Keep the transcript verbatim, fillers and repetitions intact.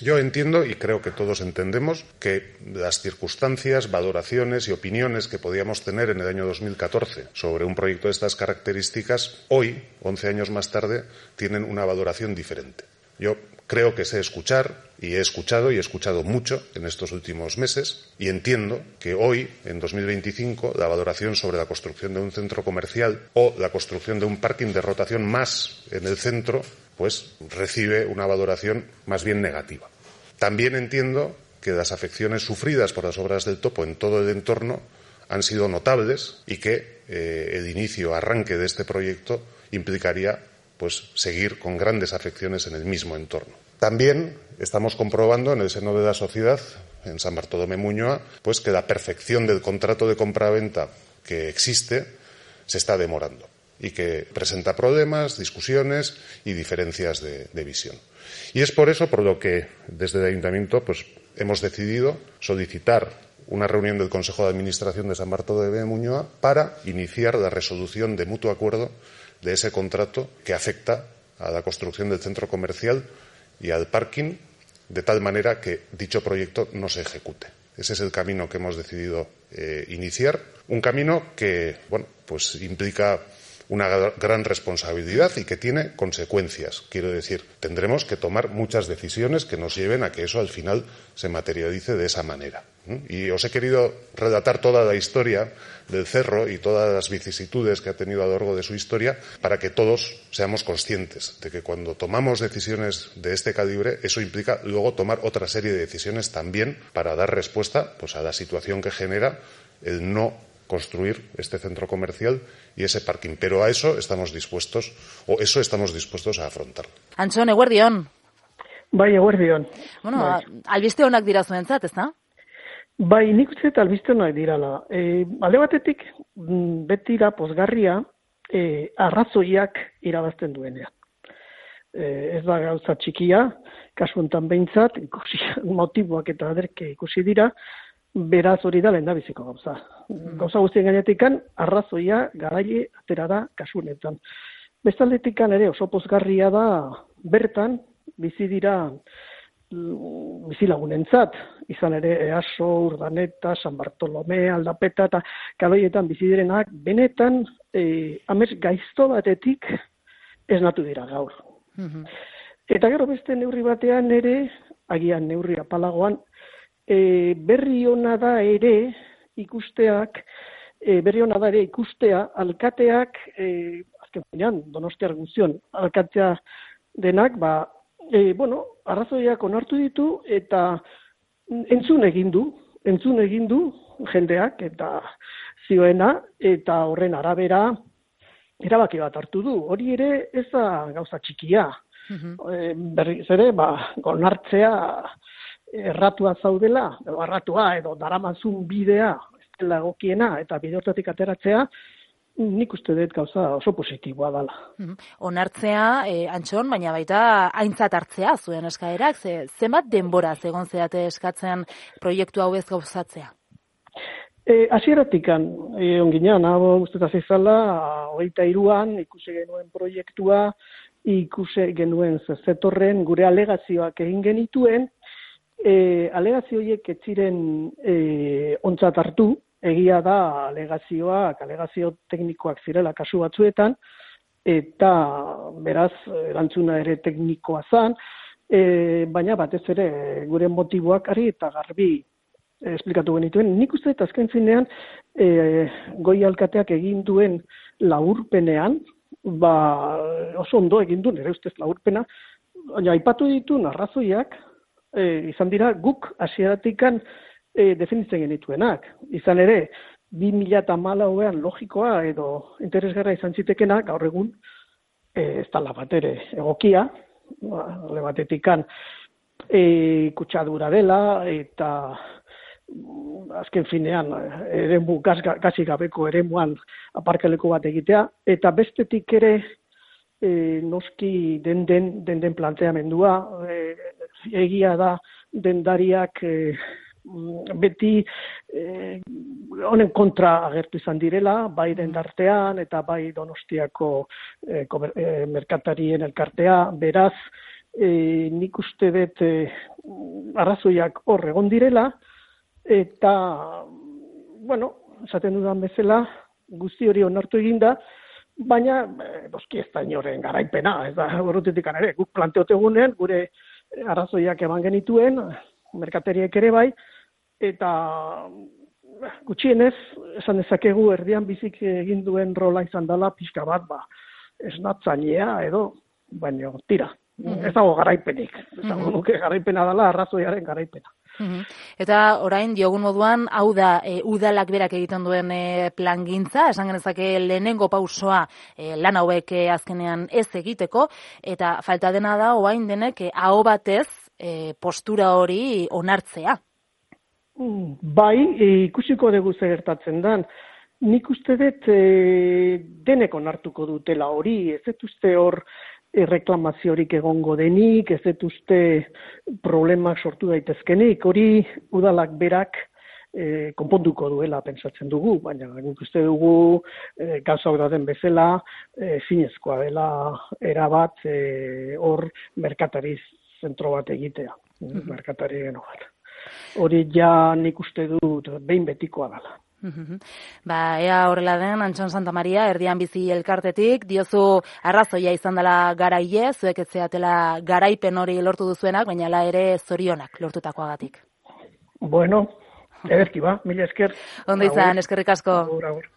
Yo entiendo, y creo que todos entendemos, que las circunstancias, valoraciones y opiniones que podíamos tener en el año dos mil catorce sobre un proyecto de estas características, hoy, once años más tarde, tienen una valoración diferente. Yo creo que sé escuchar, y he escuchado, y he escuchado mucho en estos últimos meses, y entiendo que hoy, en dos mil veinticinco, la valoración sobre la construcción de un centro comercial o la construcción de un parking de rotación más en el centro, pues recibe una valoración más bien negativa. También entiendo que las afecciones sufridas por las obras del topo en todo el entorno han sido notables y que eh, el inicio, arranque de este proyecto implicaría pues seguir con grandes afecciones en el mismo entorno. También estamos comprobando en el seno de la sociedad, en San Bartolomé Muñoa, pues que la perfección del contrato de compraventa que existe se está demorando y que presenta problemas, discusiones y diferencias de, de visión. Y es por eso por lo que desde el Ayuntamiento pues, hemos decidido solicitar una reunión del Consejo de Administración de San Bartolomé Muñoa para iniciar la resolución de mutuo acuerdo de ese contrato que afecta a la construcción del centro comercial y al parking, de tal manera que dicho proyecto no se ejecute. Ese es el camino que hemos decidido eh, iniciar, un camino que, bueno, pues implica una gran responsabilidad y que tiene consecuencias. Quiero decir, tendremos que tomar muchas decisiones que nos lleven a que eso al final se materialice de esa manera. Y os he querido relatar toda la historia del cerro y todas las vicisitudes que ha tenido a lo largo de su historia para que todos seamos conscientes de que cuando tomamos decisiones de este calibre, eso implica luego tomar otra serie de decisiones también para dar respuesta pues, a la situación que genera el no construir este centro comercial y ese parking. Pero a eso estamos dispuestos, o eso estamos dispuestos a afrontarlo. Antxon, eguerdion. Bai, eguerdion. Bueno, bai. albiste honak dira zuentzat, ez da? Bai, nik uste albiste honak dirala. E, alde batetik, betira pozgarria e, arrazoiak irabazten duenean. E, ez da gauza txikia, kasu honetan behintzat, ikusi, motiboak eta aderke ikusi dira, beraz hori da lehendabiziko gauza. Gauza guztien gainetikan, arrazoia garaile atera da kasu honetan. Bestaldetikan ere oso pozgarria da bertan bizi dira bizilagunentzat, izan ere Easo, Urdaneta, San Bartolomé, Aldapeta eta kaloietan bizi direnak benetan e, amets gaizto batetik esnatu dira gaur. Mm-hmm. Eta gero beste neurri batean ere, agian neurri apalagoan, E, berri ona da ere ikusteak, e, berri ona da ere ikustea, alkateak, e, azken finean, Donostiar guztion, alkatea denak, ba, e, bueno, arrazoiak onartu ditu eta entzun egin du, entzun egin du jendeak eta zioena, eta horren arabera erabaki bat hartu du. Hori ere ez da gauza txikia. Mm-hmm. E, berriz ere, ba, onartzea erratua zaudela, edo erratua, edo daramazun bidea, ez dela egokiena, eta bide hortatik ateratzea, nik uste dut gauza oso positiboa dela. Mm-hmm. Onartzea, eh, Antxon, baina baita aintzat hartzea zuen eskaerak, ze, zenbat denbora egon zeate eskatzen proiektu hau ez gauzatzea? E, Asieratikan, e, onginean, hau usteta zizala, hogeita hiruan ikusi genuen proiektua, ikusi genuen zetorren gure alegazioak egin genituen, E, alegazio horiek ez ziren e, ontzat hartu, egia da alegazioak, alegazio teknikoak zirela kasu batzuetan, eta beraz erantzuna ere teknikoa zan, e, baina batez ere gure motiboak ari eta garbi e, esplikatu genituen. Nik uste eta azken finean e, goi alkateak egin duen laburpenean, ba, oso ondo egin duen, ere ustez laburpena, baina aipatu ditu arrazoiak, E, izan dira guk hasieratikan e, definitzen genituenak. Izan ere, bi mila hamalauean logikoa edo interesgarra izan zitekena, gaur egun e, ez da bat ere egokia, alde batetikan e, kutsadura dela eta azken finean eremu gazi gabeko eremuan aparkaleko bat egitea, eta bestetik ere e, noski den den, den, den planteamendua, e, egia da dendariak e, beti e, honen kontra agertu izan direla, bai dendartean eta bai Donostiako e, komer, e, merkatarien elkartea, beraz e, nik uste dut e, arrazoiak hor egon direla, eta, bueno, esaten dudan bezala, guzti hori onartu eginda, baina, e, doski ez da inoren garaipena, ez da, horretetik ere, guk planteotegunen, gure arrazoiak eman genituen, merkateriek ere bai, eta gutxienez, esan dezakegu erdian bizik egin duen rola izan dela pixka bat, ba, esnatzailea edo, baina tira, mm-hmm. ez dago garaipenik, ez dago mm-hmm. nuke garaipena dela arrazoiaren garaipena. Mm-hmm. Eta orain diogun moduan, hau da e, udalak berak egiten duen e, plangintza, esan genezake lehenengo pausoa e, lan hauek e, azkenean ez egiteko, eta falta dena da orain denek e, aho batez e, postura hori onartzea. Bai, ikusiko dugu zer gertatzen dan. Nik uste dut e, denek onartuko dutela hori, ez dut uste hor e, reklamaziorik egongo denik, ez dut uste problemak sortu daitezkenik, hori udalak berak e, konponduko duela pentsatzen dugu, baina nik uste dugu e, gauzak dauden bezala e, zinezkoa dela erabat e, hor merkatariz zentro bat egitea, mm-hmm. merkatari geno bat. Hori ja nik uste dut behin betikoa dela. Mm-hmm. Ba, ea horrela den, Antxon Santamaria, Erdian Bizi elkartetik, diozu arrazoia izan dela garaile, zuek ez zeatela garaipen hori lortu duzuenak, baina la ere zorionak lortutakoagatik. Bueno, ederki ba, mila esker. Ondo izan, eskerrik asko. Agur, agur.